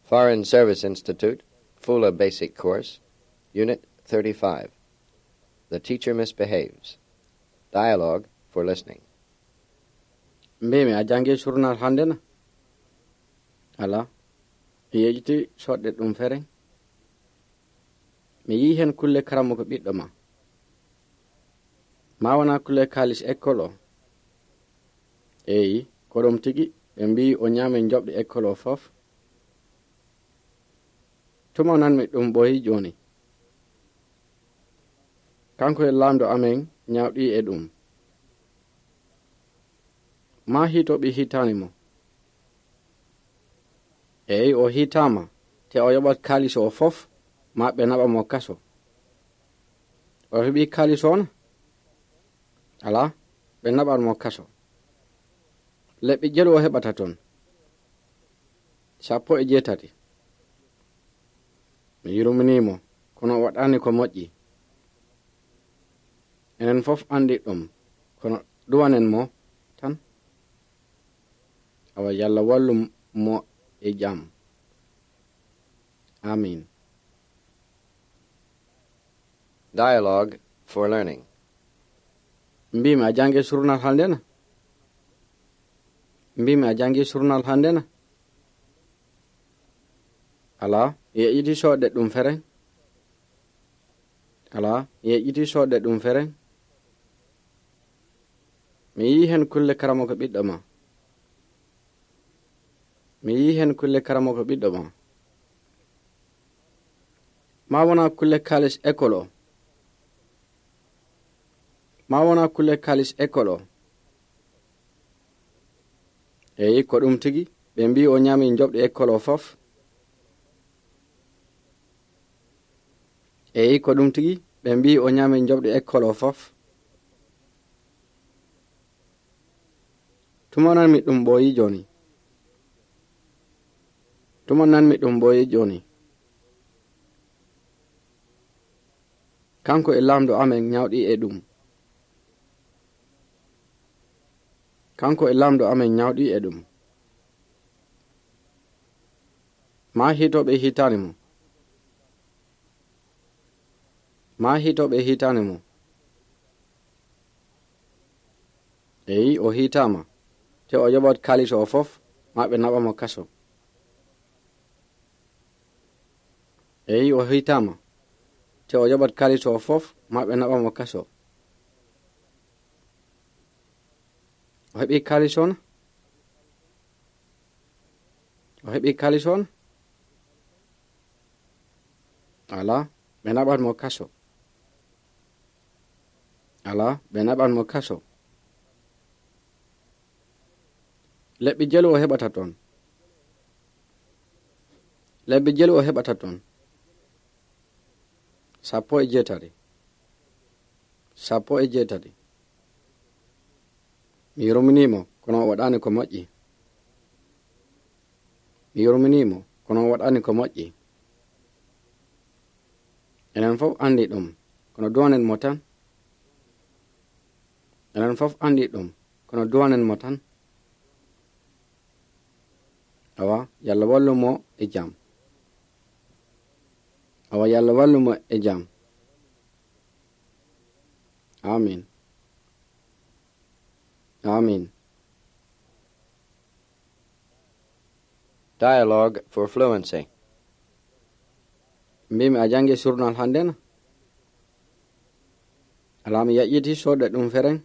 Foreign Service Institute, Fula Basic Course, Unit 35. The Teacher Misbehaves. Dialogue for Listening. Mbimi a jangi surnal hande na? Ala, mi yejiti soɗɗe ɗum fere. Mi yi hen kulle karamuko ɓiɗɗo ma wona kulle kalis école o. Eyi, ko ɗum tigi ɓe mbi o ñaami joɓɗe école o fof. Tuma nanmi ɗum ɓoyi joni. Kanko e lamɗo amen ñawɗi e ɗum. Ma hitoɓe hitani mo. Eyi, o hitama te o yoɓat kalis o fof ma ɓe naɓa mo kaso. O heɓi kalis on? Ala, ɓe naɓat mo kaso. Leɓɓi jelu o heɓata ton. 17. Mi yurminimo kono o waɗani ko moƴƴi. Enen fof andi ɗum kono duwanen mo tan. Awa Yalla wallu mo e jam. Amin. Dialogue for Learning. Mbimi a jangi surnal hande na? Mbimi a jangi surnal hande na? Ala, yeƴƴiti soɗɗe ɗum feren. Ala, yeƴƴiti soɗɗe ɗum feren. Mi yi hen kulle karamuko ɓiɗɗo ma. Mi yi hen kulle karamuko ɓiɗɗo ma. Ma wona kulle kalis école o. Ma wona kulle kalis école o. Eyi, ko ɗum tigi ɓe mbi o ñaami joɓɗe école o fof. Eyi, ko ɗum tigi ɓe mbi o ñaami joɓɗe école o fof. Tuma nanmi ɗum ɓoyi joni. Tuma nanmi ɗum ɓoyi joni. Kanko e lamɗo amen ñawɗi e ɗum. Kanko e lamɗo amen ñawɗi e ɗum. Ma hitoɓe hitani mo. Ma hitoɓe hitani mo. Eyi, o hitama te o yoɓat kalis o fof ma ɓe naɓa mo kaso. Eyi, o hitama te o yoɓat kalis o fof ma ɓe naɓa mo kaso. O heɓi kalis on? O heɓi kalis on? Ala, ɓe naɓat mo kaso. Ala, ɓe naɓat mo kaso. Leɓɓi jelu o heɓata ton. Leɓɓi jelu o heɓata ton. 17. 17. Mi yurminimo kono o waɗani ko moƴƴi. Mi yurminimo kono o waɗani ko moƴƴi. Enen fof andi ɗum kono duwanen mo tan. Enen fof andi ɗum kono duwanen mo tan. Awa Yalla wallu mo e jam. Awa Yalla wallu mo e jam. Amin. Amin. Dialogue for Fluency. Mbimi a jangi surnal hande na? Ala, mi yaƴƴiti soɗɗe ɗum feren.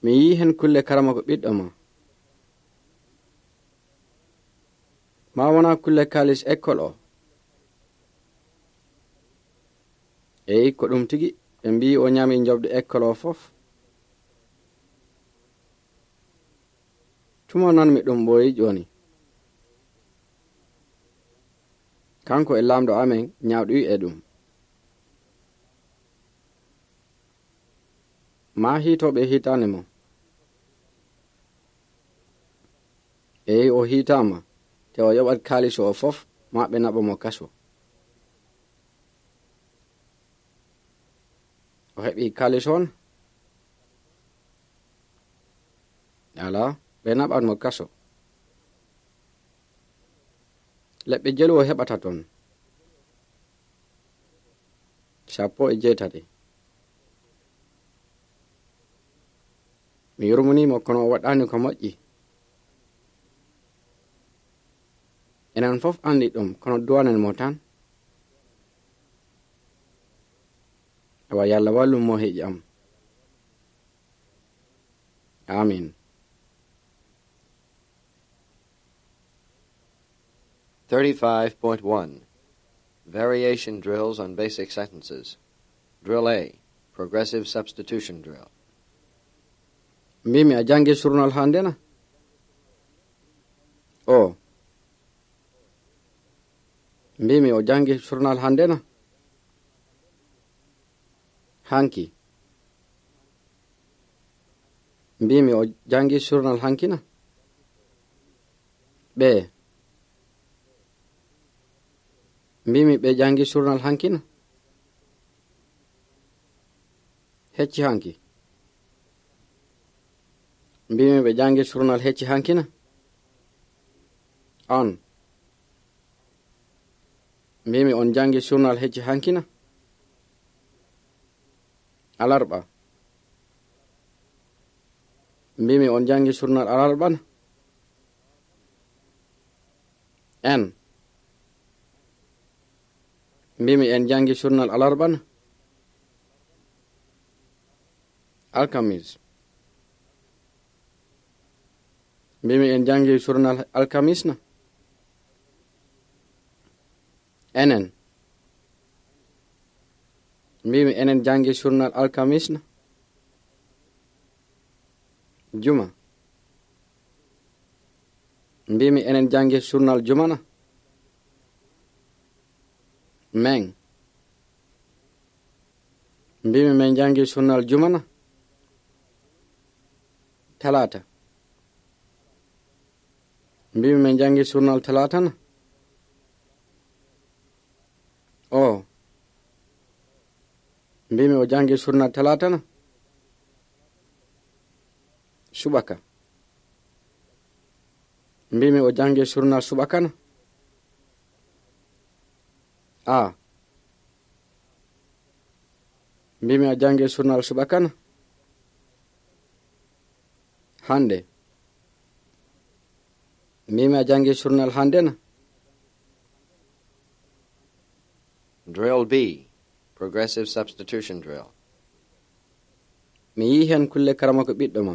Mi yi hen kulle karamuko ɓiɗɗo ma. Ma wona kulle kalis école o. Eyi, ko ɗum tigi ɓe mbi o ñaami joɓɗe école o fof. Tuma nanmi ɗum ɓoyi joni. Kanko e lamɗo amen ñawɗi e ɗum. Ma hitoɓe hitani mo. Eyi, o hitama te o yoɓat kalis o fof ma ɓe naɓa mo kaso. O heɓi kalis on? Ala, ɓe naɓat mo kaso. leɓɓe jelwo heɓata ton 18. mi yurmunimo kono o waɗani ko moƴƴi. enen fof andi ɗum kono duwanen mo tan. awa yalla wallum mo heƴi am. amin. .1 Variation drills on basic sentences. Drill A, Progressive Substitution Drill. mbimi a jangi surnal hande na? o mbimi o jangi surnal hande na? hanki mbimi o jangi surnal hanki na? ɓe mbimi ɓe jangi surnal hanki na? hecci hanki mbimi ɓe jangi surnal hecci hanki na? on mbimi on jangi surnal hecci hanki na? alarba mbimi on jangi surnal alarba na? en mbimi en jangi surnal alarba na? alkamis mbimi en jangi surnal alkamis na? enen mbimi enen jangi surnal alkamis na? juma mbimi enen jangi surnal juma na? meng mbimi men jangi surnal juma na? talata mbimi men jangi surnal talata na? o mbimi o jangi surnal talata na? subaka mbimi o jangi surnal subaka na? a mbimi a jangi surnal subaka na? hande mbimi a jangi surnal hande na? Drill B, Progressive Substitution Drill. mi yi hen kulle karama ko ɓiɗɗo ma.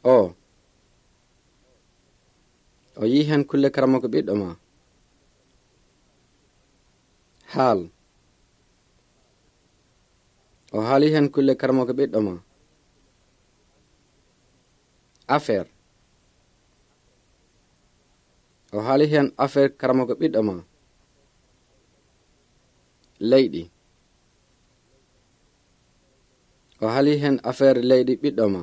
o yi hen kulle karama ko ɓiɗɗo ma. haal o haali hen kulle karama ko ɓiɗɗo ma. affaire o haali hen affaire karama ko ɓiɗɗo ma. leyɗi o haali hen affaire leyɗi ɓiɗɗo ma.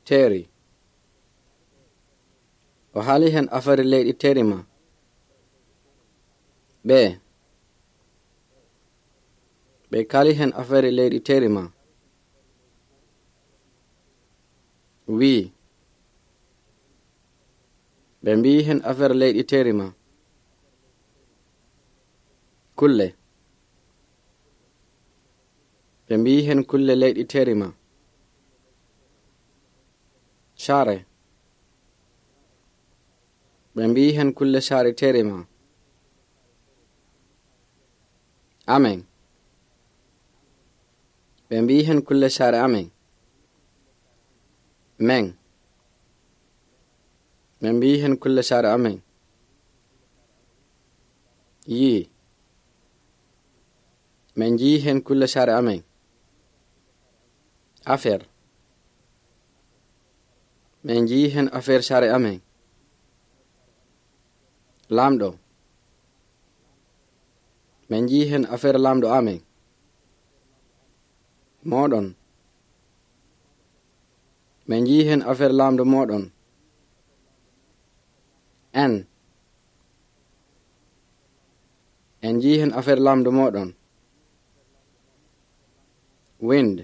teeri o haali hen affaire leyɗi teeri ma. ɓe kaali hen affaire leyɗi teeri ma. wii ɓe mbii hen affaire leyɗi teeri ma. kulle ɓe mbii hen kulle leyɗi teeri ma. saare ɓe mbii hen kulle saare teeri ma. amen ɓe mbii hen kulle saare amen. meng ɓe mbii hen kulle saare amen. yii min njii hen kulle saare amen. affaire min njii hen affaire saare amen. laamɗo min njii hen affaire laamɗo amen. moɗon min njii hen affaire laamɗo moɗon. en njii hen affaire laamɗo moɗon. wind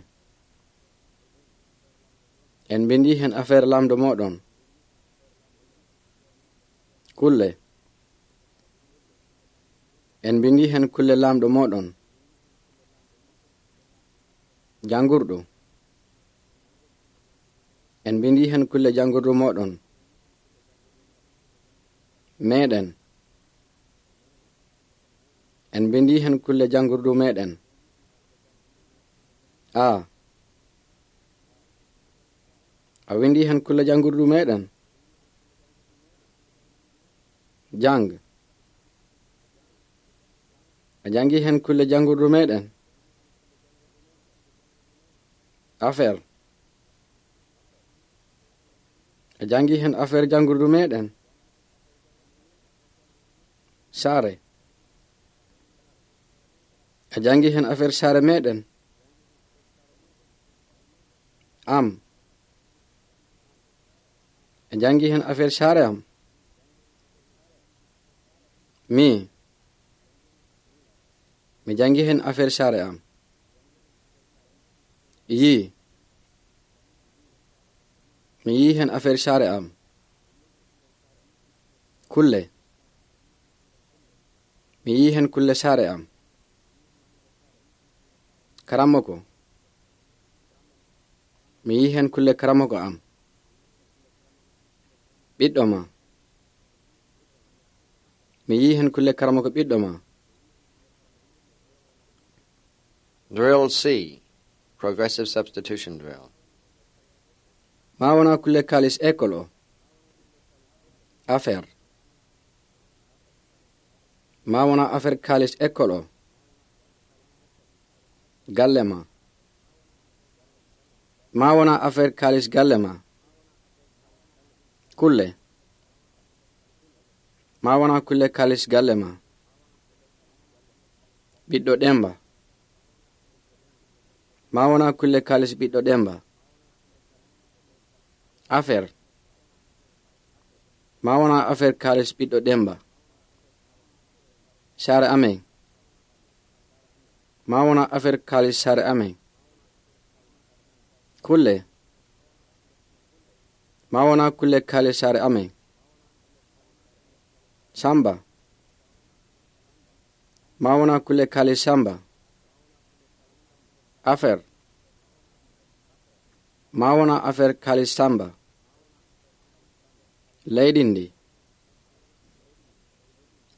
en bindi hen affaire laamɗo moɗon. kulle en bindi hen kulle lamɗo moɗon jangurɗo en bindi hen kulle jangurɗo moɗon meɗen en bindi hen kulle jangurɗo meɗen a windi hen kulle jangurɗo meɗen jang a jangi hen kulle jangurɗo meɗen affaire a jangi hen affaire jangurɗo meɗen sare a jangi hen affaire sare meɗen am a jangi hen affaire sare am mi jangi hen affaire sare am yi mi yi hen affaire sare am kulle mi yi hen kulle sare am karamoko mi yi hen kulle karamoko am ɓiɗɗo ma mi yi hen kulle karamoko ɓiɗɗo ma. Drill C, Progressive Substitution Drill. Ma wona kulle kalis école o affaire ma wona affaire kalis école o galle ma wona affaire kalis galle ma kulle ma wona kulle kalis galle ma ɓiɗɗo ɗemba ma wona kulle kalis ɓiɗɗo ɗemba affaire ma wona affaire kalis ɓiɗɗo ɗemba sare amen ma wona affaire kalis sare amen kulle ma wona kulle kalis sare amen samba ma wona kulle kalis samba affaire ma wona affaire kalis samba leydindi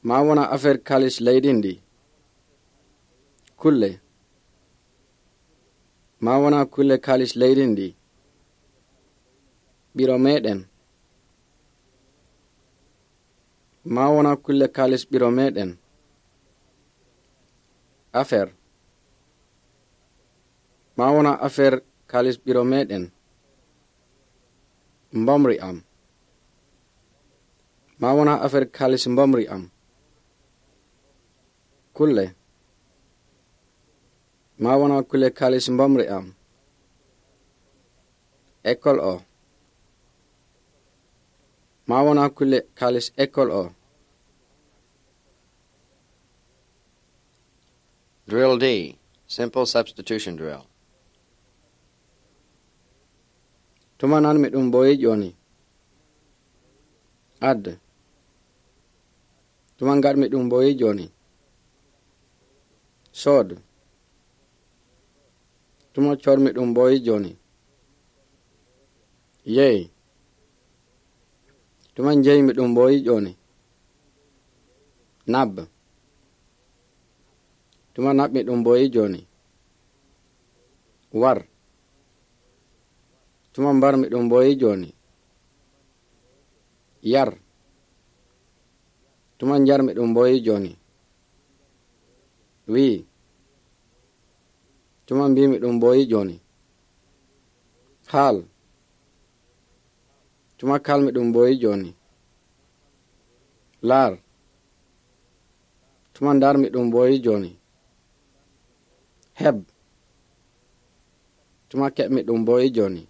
ma wona affaire kalis leydindi kulle ma wona kulle kalis leydindi ɓiro meɗen ma wona kulle kalis ɓiro meɗen affaire ma wona affaire kalis ɓiro meɗen mbomri am ma wona affaire kalis mbomri am kulle ma wona kulle kalis mbomri am école o ma wona kulle kalis école o. Drill D, Simple Substitution Drill. Tuma nan mi ɗum boyi joni add tuma ngar mi ɗum boyi joni sood tuma cor mi ɗum boyi joni yeey tuma jeyi mi ɗum boyi joni nab tuma nab mi ɗum boyi joni war tuma mbar mi ɗum boyi joni yar tuma njar mi ɗum boyi joni wi tuma mbi mi ɗum boyi joni haal tuma kal mi ɗum boyi joni laar tuma ndar mi ɗum boyi joni heb tuma keɓ mi ɗum boyi joni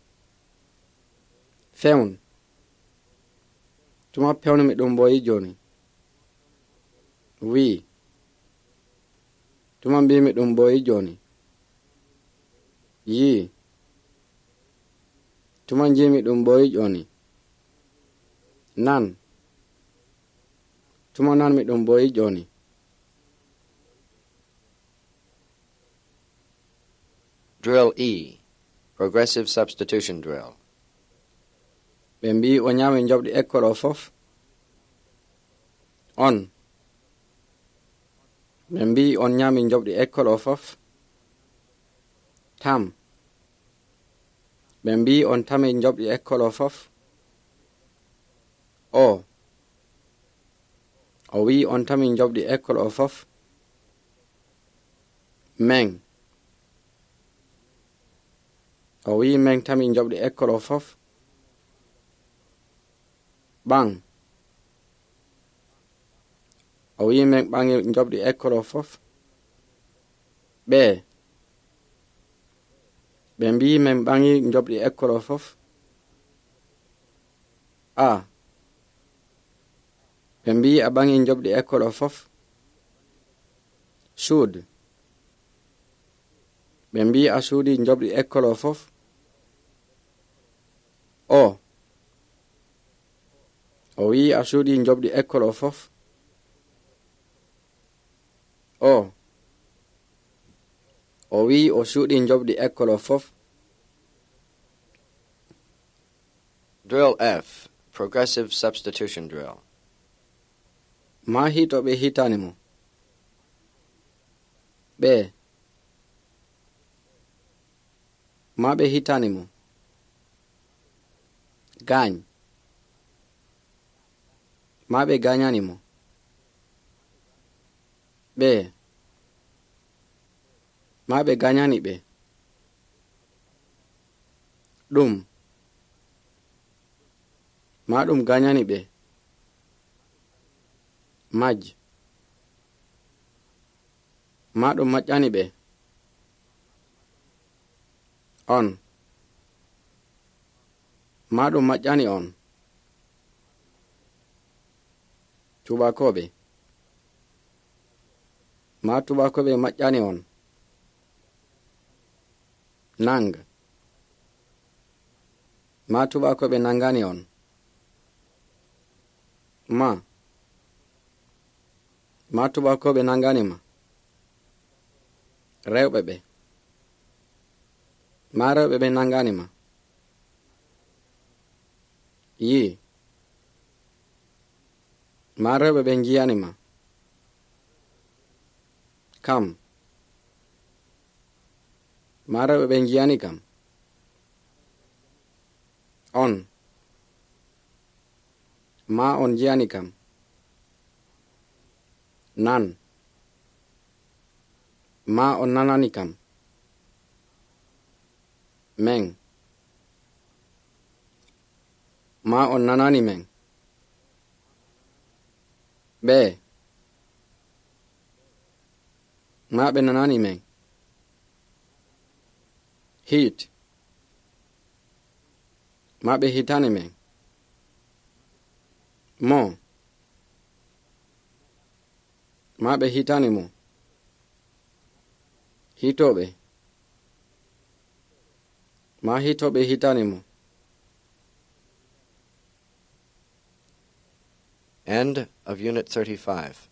fewn tuma pewni mi ɗum boyi joni wi tuma mbi mi ɗum boyi joni yi tuma jimi ɗum boyi joni nan tumanan mi ɗum boyi joni. Drill E, Progressive Substitution Drill. ɓe mbi o ñaami joɓɗi école o fof. On. ɓe mbi on ñaami joɓɗi école o fof. Tam. ɓe mbi on tami joɓɗi école o fof. O. o wi on tami joɓɗi école o fof. Meng. o wi meng tami joɓɗi école o fof. Ɓang. o wi meng ɓangi joɓɗi école o fof. Ɓe. ɓe mbi meng ɓangi joɓɗi école o fof. A. ɓe mbi a ɓangi joɓɗi école o fof. Suud. ɓe mbi a suudi joɓɗi école o fof. O. o wi a suudi joɓɗi école o fof. O. o wi o suudi joɓɗi école o fof. Drill F, Progressive Substitution Drill. Ma hito ɓe hitani mo. Ɓe. ma ɓe hitani mo. Gañ. ma ɓe gañani mo. Ɓe. ma ɓe gañani ɓe. Ɗum. ma ɗum gañani ɓe. Maj. ma ɗum maƴƴani ɓe. On. ma ɗum maƴƴani on. Tubakoɓe. ma tubakoɓe maƴƴani on. Nang. ma tubakoɓe nangani on. ma tubakoɓe nangani ma. Rewɓe ɓe. ma rewɓe ɓe nangani ma. Yi. ma rewɓe ɓe jiyani ma. Kam. ma rewɓe ɓe jiyani kam. On. ma on jiyani kam. Nan. ma on nanani kam. Meng. ma on nanani meng. Ɓe. ma ɓe nanani meng. Hit. ma ɓe hitani meng. Mo. ma ɓe hitani mo. Hitoɓe. ma hitoɓe hitani mo. End of Unit 35.